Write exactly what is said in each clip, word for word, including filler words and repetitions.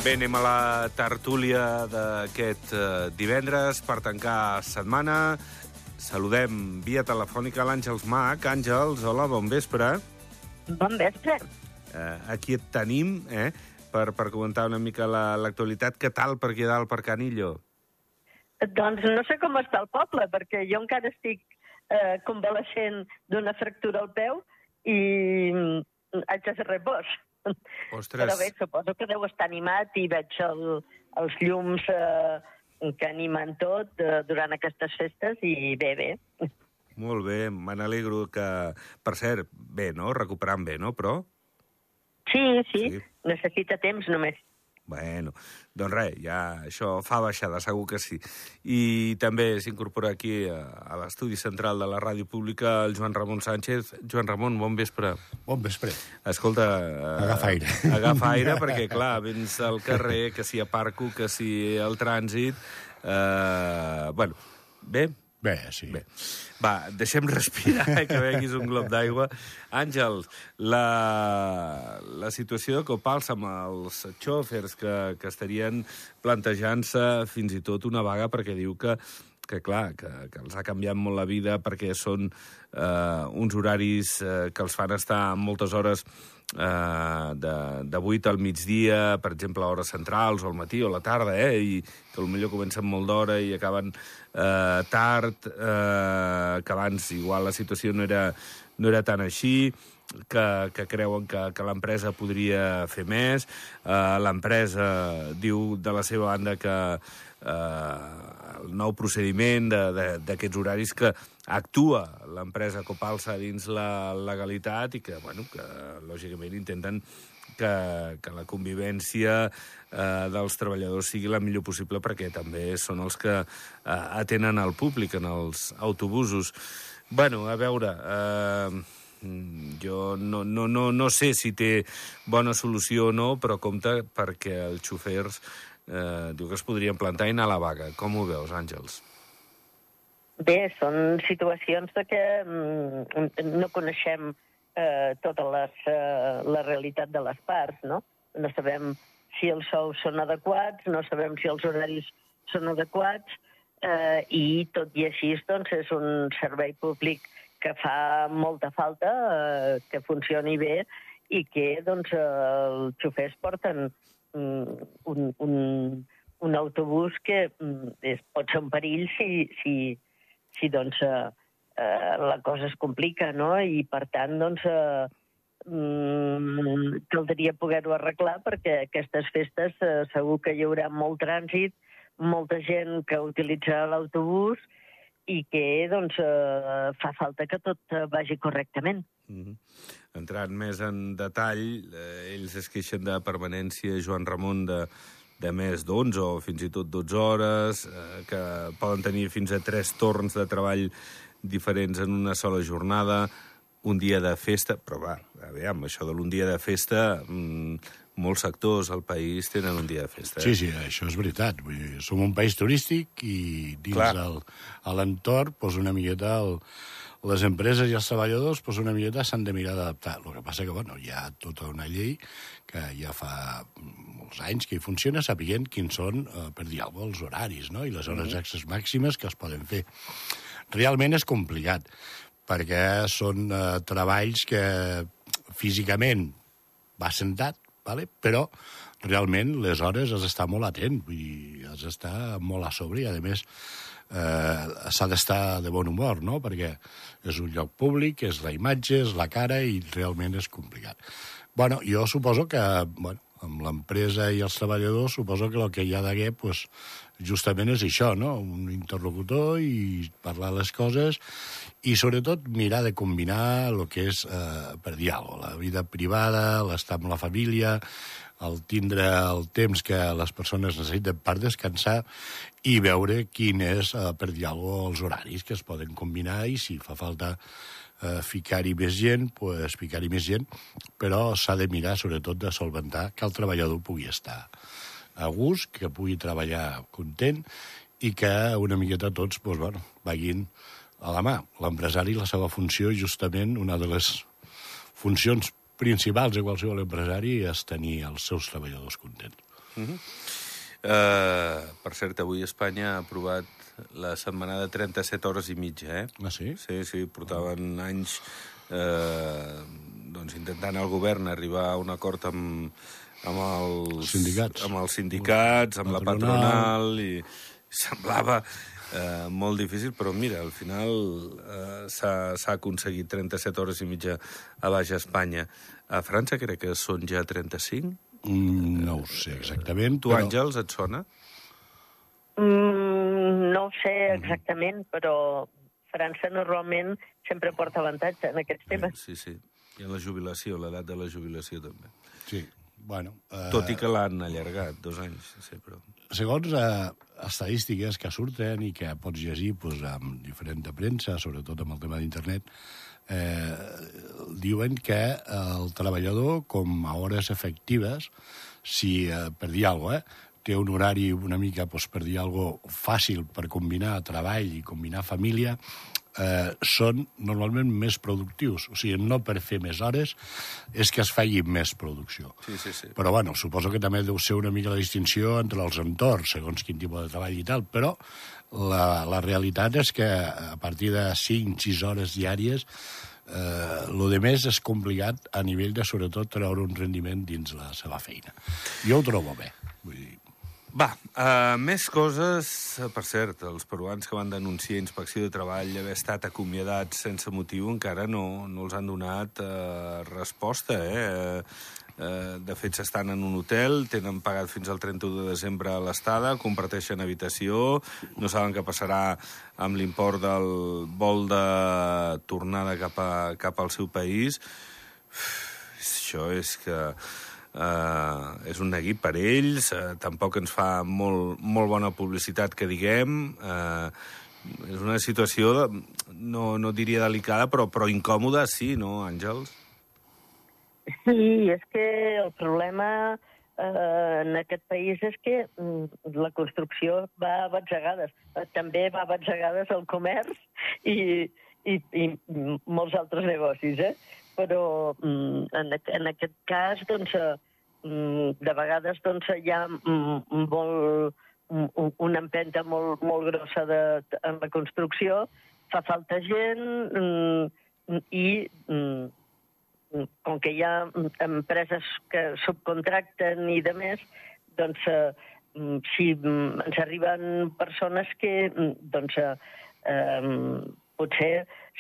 Bé, anem a la tertúlia d'aquest eh, divendres per tancar setmana. Saludem via telefònica l'Àngels Mach. Àngels, hola, bon vespre. Bon vespre. Eh, aquí et tenim, eh, per, per comentar una mica l'actualitat. La, Què tal per aquí dalt, per Canillo? Doncs no sé com està el poble, perquè jo encara estic eh, convalescent d'una fractura al peu i haig de fer repòs. Ostres. Però bé, suposo que deu estar animat i veig el, els llums eh, que animen tot eh, durant aquestes festes i bé, bé. Molt bé, me n'alegro que... Per cert, bé, no? Recuperant bé, no? Però... Sí, sí, sí, necessita temps només. Bueno, doncs res, ja això fa baixada, segur que sí. I també s'incorpora aquí a, a l'estudi central de la ràdio pública el Joan Ramon Sánchez. Joan Ramon, bon vespre. Bon vespre. Escolta... Agafa aire. Eh, agafa aire, perquè, clar, vens al carrer, que si aparco, que si el trànsit... Eh, bueno, bé... Bé, sí. Bé. Va, deixem respirar, que beguis un glob d'aigua. Àngel, la, la situació de Copals amb els xòfers que, que estarien plantejant-se fins i tot una vaga perquè diu que, que clar, que, que els ha canviat molt la vida perquè són eh, uns horaris eh, que els fan estar moltes hores Uh, de, de vuit al migdia, per exemple, a hores centrals, o al matí, o a la tarda, eh? I que potser comencen molt d'hora i acaben uh, tard, uh, que abans igual la situació no era, no era tan així, que, que creuen que, que l'empresa podria fer més. Uh, l'empresa diu de la seva banda que uh, el nou procediment d'aquests horaris que actua l'empresa Copalsa dins la legalitat i que, bueno, que lògicament intenten que, que la convivència eh, dels treballadors sigui la millor possible perquè també són els que eh, atenen al públic en els autobusos. Bueno, a veure, eh, jo no, no, no, no sé si té bona solució o no, però compte perquè els xofers eh, diu que es podrien plantar i anar a la vaga. Com ho veus, Àngels? Bé, són situacions de que mm, no coneixem eh, tota les, eh, la realitat de les parts, no? No sabem si els sous són adequats, no sabem si els horaris són adequats, eh, i tot i així doncs, és un servei públic que fa molta falta, eh, que funcioni bé i que doncs, eh, els xofers porten mm, un, un, un autobús que mm, és, pot ser un perill si... si si doncs, eh, eh, la cosa es complica, no? I, per tant, doncs, eh, mm, caldria poder-ho arreglar perquè aquestes festes eh, segur que hi haurà molt trànsit, molta gent que utilitzarà l'autobús i que, doncs, eh, fa falta que tot vagi correctament. Mm-hmm. Entrant més en detall, eh, ells es queixen de permanència, Joan Ramon, de... de més d'onze o fins i tot dotze hores, eh, que poden tenir fins a tres torns de treball diferents en una sola jornada, un dia de festa, però va, aviam, això de l'un dia de festa, mmm, molts sectors al país tenen un dia de festa. Eh? Sí, sí, això és veritat. Vull dir, som un país turístic i dins el, a l'entorn, doncs una miqueta el, les empreses i els treballadors doncs una miqueta s'han de mirar d'adaptar. El que passa que, bueno, hi ha tota una llei que ja fa molts anys que hi funciona, sapiguent quins són, eh, per dir alguna cosa, els horaris, no? I les hores extres màximes que es poden fer. Realment és complicat, perquè són eh, treballs que físicament va sentat, vale? Però realment les hores has d'estar molt atent, vull dir, has d'estar molt a sobre i, a més, eh, s'ha d'estar de bon humor, no? Perquè és un lloc públic, és la imatge, és la cara i realment és complicat. Bueno, jo suposo que, bueno, amb l'empresa i els treballadors, suposo que el que hi ha d'haver, pues, justament és això, no? Un interlocutor i parlar les coses i, sobretot, mirar de combinar el que és, eh, per dir alguna cosa, la vida privada, l'estar amb la família, el tindre el temps que les persones necessiten per descansar i veure quin és, eh, per dir alguna cosa, els horaris que es poden combinar i si fa falta eh, ficar-hi més gent, pues, ficar-hi més gent, però s'ha de mirar, sobretot, de solventar que el treballador pugui estar a gust, que pugui treballar content i que una miqueta tots pues, bueno, vagin a la mà. L'empresari, la seva funció, justament, una de les funcions principals de qualsevol empresari és tenir els seus treballadors contents. Uh -huh. uh, per cert, avui Espanya ha aprovat la setmana de trenta-set hores i mitja, eh? Ah, sí? Sí, sí, portaven anys eh, doncs intentant el govern arribar a un acord amb, amb els sindicats, amb, els sindicats, amb la patronal, i semblava eh, molt difícil, però mira, al final eh, s'ha aconseguit trenta-set hores i mitja a Baix Espanya. A França crec que són ja trenta-cinc? Mm, no ho sé exactament. Tu, però... Àngels, et sona? Mm, no ho sé exactament, però França normalment sempre porta avantatge en aquests temes. Sí, sí. I en la jubilació, l'edat de la jubilació també. Sí, bueno... Eh... Tot i que l'han allargat, dos anys, sí, però... Segons eh, estadístiques que surten i que pots llegir pues, amb diferent de premsa, sobretot amb el tema d'internet, eh, diuen que el treballador, com a hores efectives, si eh, per dir alguna cosa, eh, té un horari una mica, doncs, per dir alguna cosa, fàcil per combinar treball i combinar família, eh, són normalment més productius. O sigui, no per fer més hores, és que es faci més producció. Sí, sí, sí. Però, bueno, suposo que també deu ser una mica la distinció entre els entorns, segons quin tipus de treball i tal, però la, la realitat és que a partir de cinc o sis hores diàries eh, lo de més és complicat a nivell de, sobretot, treure un rendiment dins la seva feina. Jo ho trobo bé, vull dir... Va, uh, més coses. Per cert, els peruans que van denunciar Inspecció de Treball haver estat acomiadats sense motiu encara no, no els han donat uh, resposta, eh? Uh, de fet, s'estan en un hotel, tenen pagat fins al trenta-u de desembre l'estada, comparteixen habitació, no saben què passarà amb l'import del vol de tornada cap, a, cap al seu país. Uf, això és que... Uh, és un neguit per ells, uh, tampoc ens fa molt, molt bona publicitat que diguem, uh, és una situació, de, no, no diria delicada, però, però incòmoda, sí, no, Àngels? Sí, és que el problema eh, en aquest país és que mm, la construcció va a batzegades, eh, també va a batzegades el comerç i, i, i molts altres negocis, eh? Però mm, en, en aquest cas, doncs, mm, de vegades doncs, hi ha mm, molt, mm, una empenta molt, molt grossa de, en la construcció, fa falta gent mm, i mm, com que hi ha empreses que subcontracten i de més, doncs, eh, si ens arriben persones que, doncs, eh, potser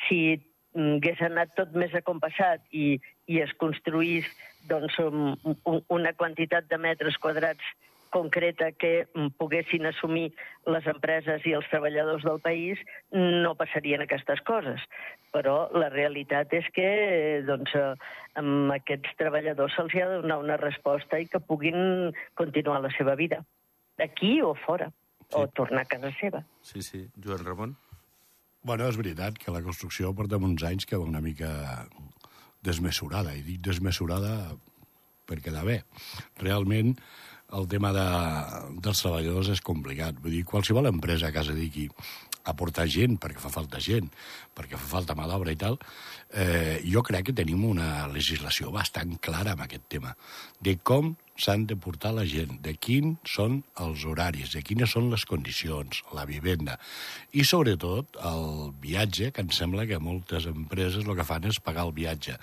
si hagués anat tot més acompassat i, i es construís doncs, un, una quantitat de metres quadrats concreta que poguessin assumir les empreses i els treballadors del país, no passarien aquestes coses. Però la realitat és que doncs, amb aquests treballadors se'ls ha de donar una resposta i que puguin continuar la seva vida, aquí o fora, sí. O tornar a casa seva. Sí, sí. Joan Ramon? Bueno, és veritat que la construcció porta uns anys que va una mica desmesurada, i dic desmesurada per quedar bé. Realment, el tema de, dels treballadors és complicat. Vull dir, qualsevol empresa que es dediqui a portar gent, perquè fa falta gent, perquè fa falta mà d'obra i tal, eh, jo crec que tenim una legislació bastant clara en aquest tema, de com s'han de portar la gent, de quins són els horaris, de quines són les condicions, la vivenda, i sobretot el viatge, que em sembla que moltes empreses el que fan és pagar el viatge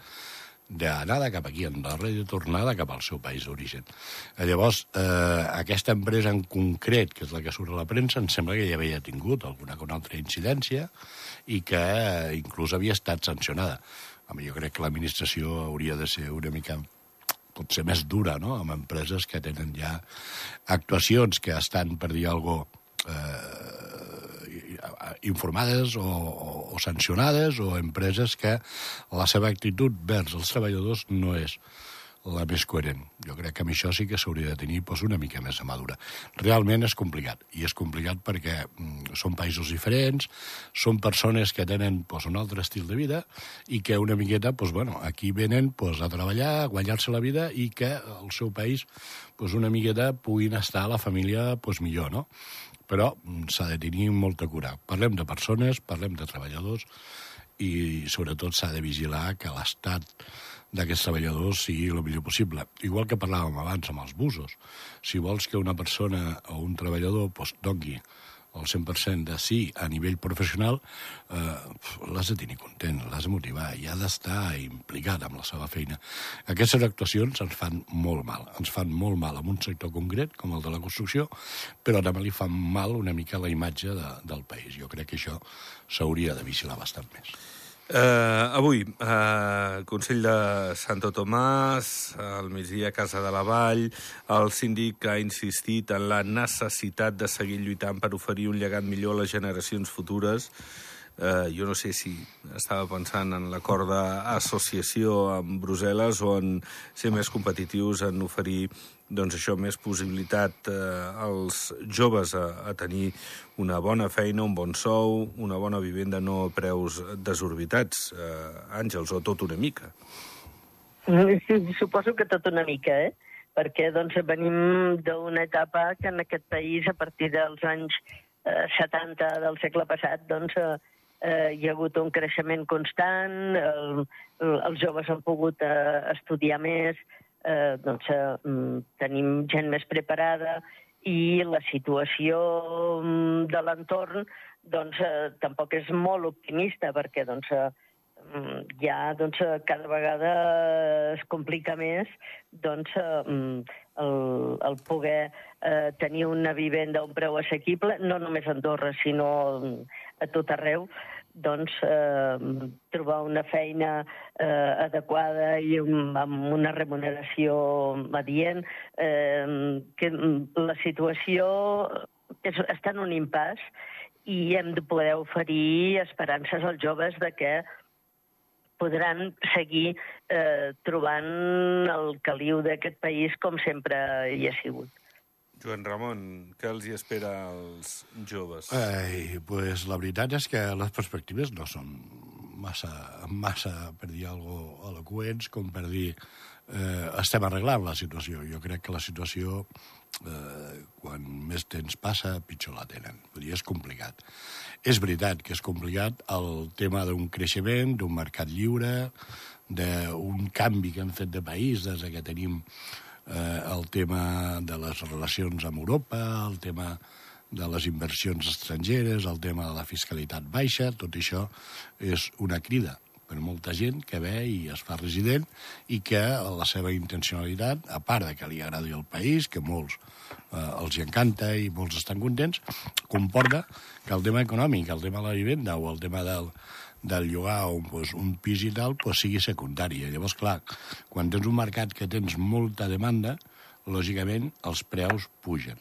d'anada cap aquí a Andorra i de tornada cap al seu país d'origen. Llavors, eh, aquesta empresa en concret, que és la que surt a la premsa, em sembla que ja havia tingut alguna una altra incidència i que eh, inclús havia estat sancionada. Home, jo crec que l'administració hauria de ser una mica potser més dura, no?, amb empreses que tenen ja actuacions que estan, per dir alguna cosa, eh, informades o, o, o sancionades, o empreses que la seva actitud vers els treballadors no és la més coherent. Jo crec que amb això sí que s'hauria de tenir doncs, una mica més de madura. Realment és complicat, i és complicat perquè mm, són països diferents, són persones que tenen doncs, un altre estil de vida i que una miqueta, doncs, bueno, aquí venen doncs, a treballar, a guanyar-se la vida i que al seu país doncs, una miqueta puguin estar a la família doncs, millor, no? Però s'ha de tenir molta cura. Parlem de persones, parlem de treballadors, i sobretot s'ha de vigilar que l'estat d'aquests treballadors sigui el millor possible. Igual que parlàvem abans amb els busos. Si vols que una persona o un treballador pues, doni el cent per cent de sí a nivell professional, eh, l'has de tenir content, l'has de motivar i ha d'estar implicat amb la seva feina. Aquestes actuacions ens fan molt mal. Ens fan molt mal en un sector concret, com el de la construcció, però també li fan mal una mica la imatge de, del país. Jo crec que això s'hauria de vigilar bastant més. Uh, avui, uh, Consell de Santo Tomàs, al migdia Casa de la Vall, el síndic ha insistit en la necessitat de seguir lluitant per oferir un llegat millor a les generacions futures. Uh, jo no sé si estava pensant en l'acord d'associació amb Brussel·les o en ser més competitius, en oferir doncs això, més possibilitat eh, als joves a, a tenir una bona feina, un bon sou, una bona vivenda, no a preus desorbitats, eh, Àngels, o tot una mica. Sí, suposo que tot una mica, eh? Perquè doncs, venim d'una etapa que en aquest país, a partir dels anys eh, setanta del segle passat, doncs, eh, eh, hi ha hagut un creixement constant, el, el, els joves han pogut eh, estudiar més, eh, doncs, eh, tenim gent més preparada i la situació de l'entorn doncs, eh, tampoc és molt optimista perquè doncs, eh, ja doncs, cada vegada es complica més doncs, eh, el, el poder eh, tenir una vivenda a un preu assequible, no només a Andorra, sinó a tot arreu, doncs eh, trobar una feina eh, adequada i un, amb una remuneració adient, eh, que la situació és, està en un impàs i hem de poder oferir esperances als joves de que podran seguir eh, trobant el caliu d'aquest país com sempre hi ha sigut. Joan Ramon, què els hi espera als joves? Ai, pues la veritat és que les perspectives no són massa, massa per dir alguna cosa eloqüents, com per dir eh, estem arreglant la situació. Jo crec que la situació, eh, quan més temps passa, pitjor la tenen. Vull dir, és complicat. És veritat que és complicat el tema d'un creixement, d'un mercat lliure, d'un canvi que hem fet de país des que tenim eh, el tema de les relacions amb Europa, el tema de les inversions estrangeres, el tema de la fiscalitat baixa, tot això és una crida per molta gent que ve i es fa resident i que la seva intencionalitat, a part de que li agradi el país, que molts eh, els hi encanta i molts estan contents, comporta que el tema econòmic, el tema de la vivenda o el tema del, del llogar un, pues, un pis i tal, pues, sigui secundari. Llavors, clar, quan tens un mercat que tens molta demanda, lògicament els preus pugen.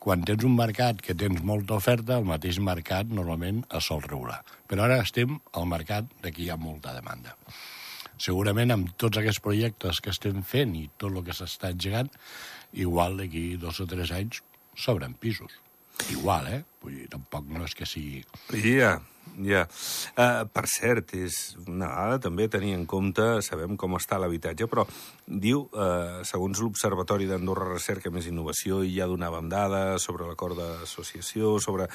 Quan tens un mercat que tens molta oferta, el mateix mercat normalment es sol regular. Però ara estem al mercat de que hi ha molta demanda. Segurament amb tots aquests projectes que estem fent i tot el que s'està engegant, igual d'aquí dos o tres anys s'obren pisos. Igual, eh? Vull dir, tampoc no és que sigui... Ja, ja. Uh, per cert, és una dada també tenir en compte, sabem com està l'habitatge, però diu, uh, segons l'Observatori d'Andorra Recerca Més Innovació, i ja donàvem dades sobre l'acord d'associació, sobre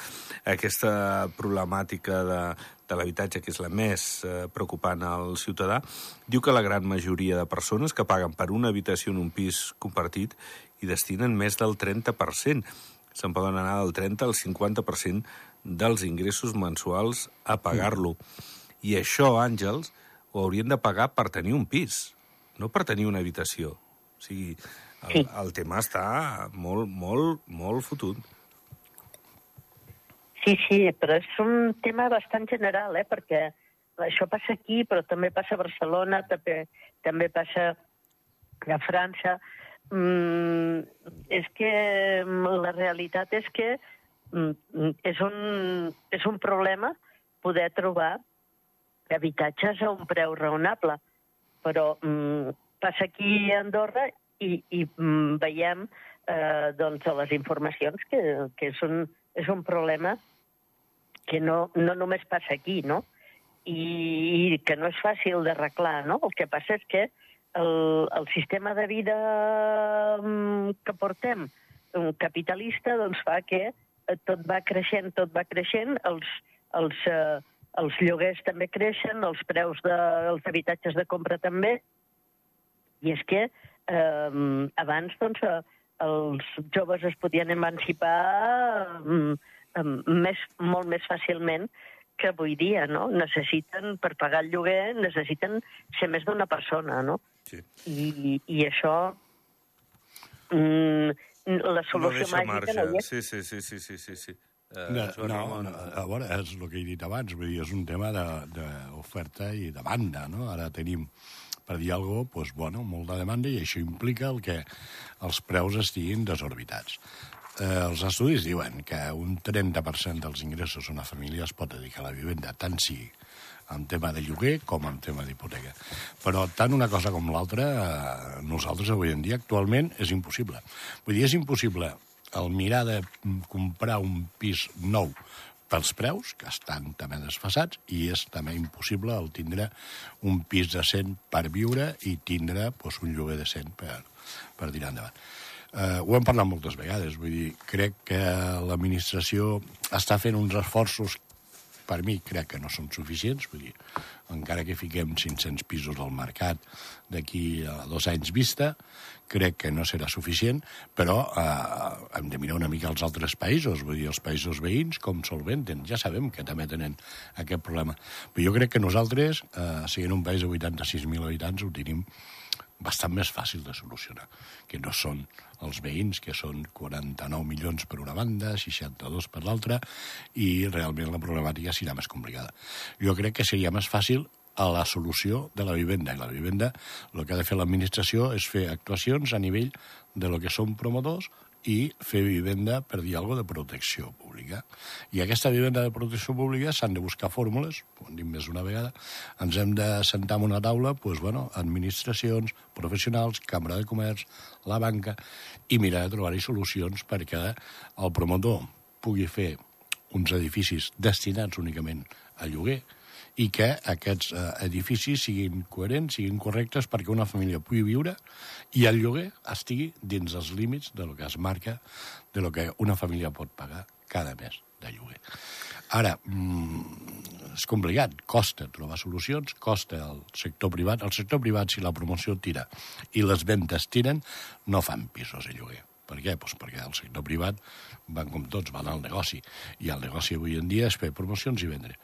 aquesta problemàtica de, de l'habitatge, que és la més uh, preocupant al ciutadà, diu que la gran majoria de persones que paguen per una habitació en un pis compartit hi destinen més del trenta per cent. Se'n poden anar del trenta al cinquanta per cent dels ingressos mensuals a pagar-lo. I això, Àngels, ho haurien de pagar per tenir un pis, no per tenir una habitació. O sigui, el, sí. el tema està molt, molt, molt fotut. Sí, sí, però és un tema bastant general, eh? Perquè això passa aquí, però també passa a Barcelona, també, també passa a França. Mm, és que la realitat és que mm, és, un, és un problema poder trobar habitatges a un preu raonable, però mm, passa aquí a Andorra i, i mm, veiem eh, doncs, a les informacions que, que és, un, és un problema que no, no només passa aquí, no? I, i que no és fàcil d'arreglar, no? El que passa és que El, el sistema de vida que portem capitalista doncs fa que tot va creixent, tot va creixent, els, els, els lloguers també creixen, els preus dels habitatges de compra també, i és que eh, abans doncs, els joves es podien emancipar eh, més, molt més fàcilment que avui dia, no? Necessiten, per pagar el lloguer, necessiten ser més d'una persona, no? Sí. I, i això, mm, la solució no màgica no hi és. Sí, sí, sí, sí, sí, sí, sí. Uh, no, no, no, a veure, és el que he dit abans, vull dir, és un tema d'oferta i de demanda, no? Ara tenim, per dir alguna cosa, doncs, bueno, molta demanda, i això implica el que els preus estiguin desorbitats. Eh, els estudis diuen que un trenta per cent dels ingressos d'una família es pot dedicar a la vivenda, tant sí en tema de lloguer com en tema d'hipoteca. Però tant una cosa com l'altra, eh, nosaltres avui en dia, actualment, és impossible. Vull dir, és impossible el mirar de comprar un pis nou pels preus, que estan també desfasats, i és també impossible el tindre un pis decent per viure i tindre doncs, un lloguer decent per, per tirar endavant. Uh, ho hem parlat moltes vegades, vull dir, crec que l'administració està fent uns esforços, per mi crec que no són suficients, vull dir, encara que fiquem cinc-cents pisos al mercat d'aquí a dos anys vista, crec que no serà suficient, però eh, hem de mirar una mica els altres països, vull dir, els països veïns, com solventen. Ja sabem que també tenen aquest problema. Però jo crec que nosaltres, eh, sent un país de vuitanta-sis mil habitants, ho tenim bastant més fàcil de solucionar, que no són els veïns, que són quaranta-nou milions per una banda, seixanta-dos per l'altra, i realment la problemàtica serà més complicada. Jo crec que seria més fàcil a la solució de la vivenda, i la vivenda, el que ha de fer l'administració és fer actuacions a nivell de lo que són promotors i fer vivenda, per dir alguna cosa, de protecció pública. I aquesta vivenda de protecció pública s'han de buscar fórmules, ho hem dit més d'una vegada, ens hem de sentar en una taula, doncs, bueno, administracions, professionals, Cambra de Comerç, la banca, i mirar de trobar-hi solucions perquè el promotor pugui fer uns edificis destinats únicament a lloguer, i que aquests eh, edificis siguin coherents, siguin correctes perquè una família pugui viure i el lloguer estigui dins els límits de lo que es marca, de lo que una família pot pagar cada mes de lloguer. Ara, mm, és complicat, costa trobar solucions, costa el sector privat. El sector privat, si la promoció tira i les ventes tiren, no fan pisos a lloguer. Per què? Pues perquè el sector privat van com tots, van al negoci. I el negoci avui en dia és fer promocions i vendre.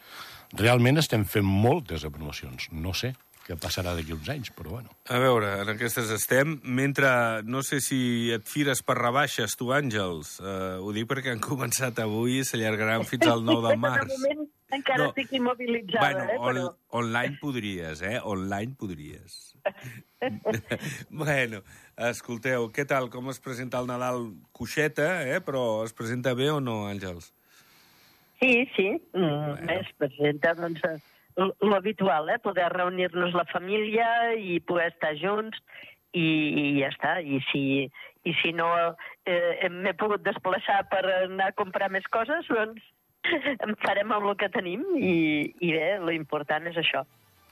Realment estem fent moltes de promocions. No sé què passarà d'aquí uns anys, però bueno. A veure, en aquestes estem. Mentre, no sé si et fires per rebaixes, tu, Àngels. Uh, ho dic perquè han començat avui i s'allargaran fins al nou de març. De moment encara no. Estic immobilitzada, bueno, eh? Però... On, online podries, eh? Online podries. Bueno, escolteu, què tal? Com es presenta el Nadal? Coixeta, eh? Però es presenta bé o no, Àngels? Sí, sí. Mm, bueno. Es presenta, doncs, l'habitual, eh? Poder reunir-nos la família i poder estar junts i, i ja està. I si, i si no eh, m'he pogut desplaçar per anar a comprar més coses, doncs en farem amb el que tenim i, i bé, l'important és això.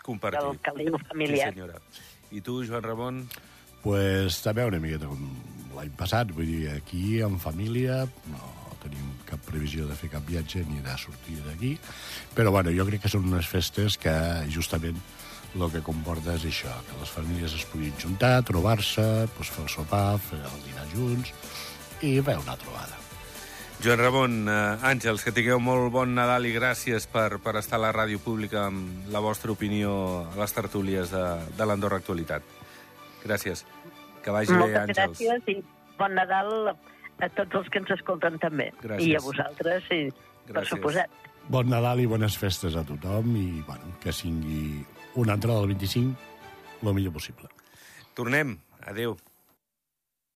Compartir. El caliu familiar. Sí, senyora. I tu, Joan Ramon? Pues també una miqueta com l'any passat, vull dir, aquí en família no tenim cap previsió de fer cap viatge ni de sortir d'aquí, però bueno, jo crec que són unes festes que justament el que comporta és això, que les famílies es puguin juntar, trobar-se, doncs fer el sopar, fer el dinar junts i fer una trobada. Joan Ramon, eh, Àngels, que tingueu molt bon Nadal i gràcies per, per estar a la ràdio pública amb la vostra opinió a les tertúlies de, de l'Andorra Actualitat. Gràcies. Que vagi Moltes bé, Àngels. Moltes gràcies i bon Nadal a tots els que ens escolten també. Gràcies. I a vosaltres, i per suposat. Bon Nadal i bones festes a tothom i bueno, que sigui una entrada del vint-i-cinc el millor possible. Tornem. Adéu.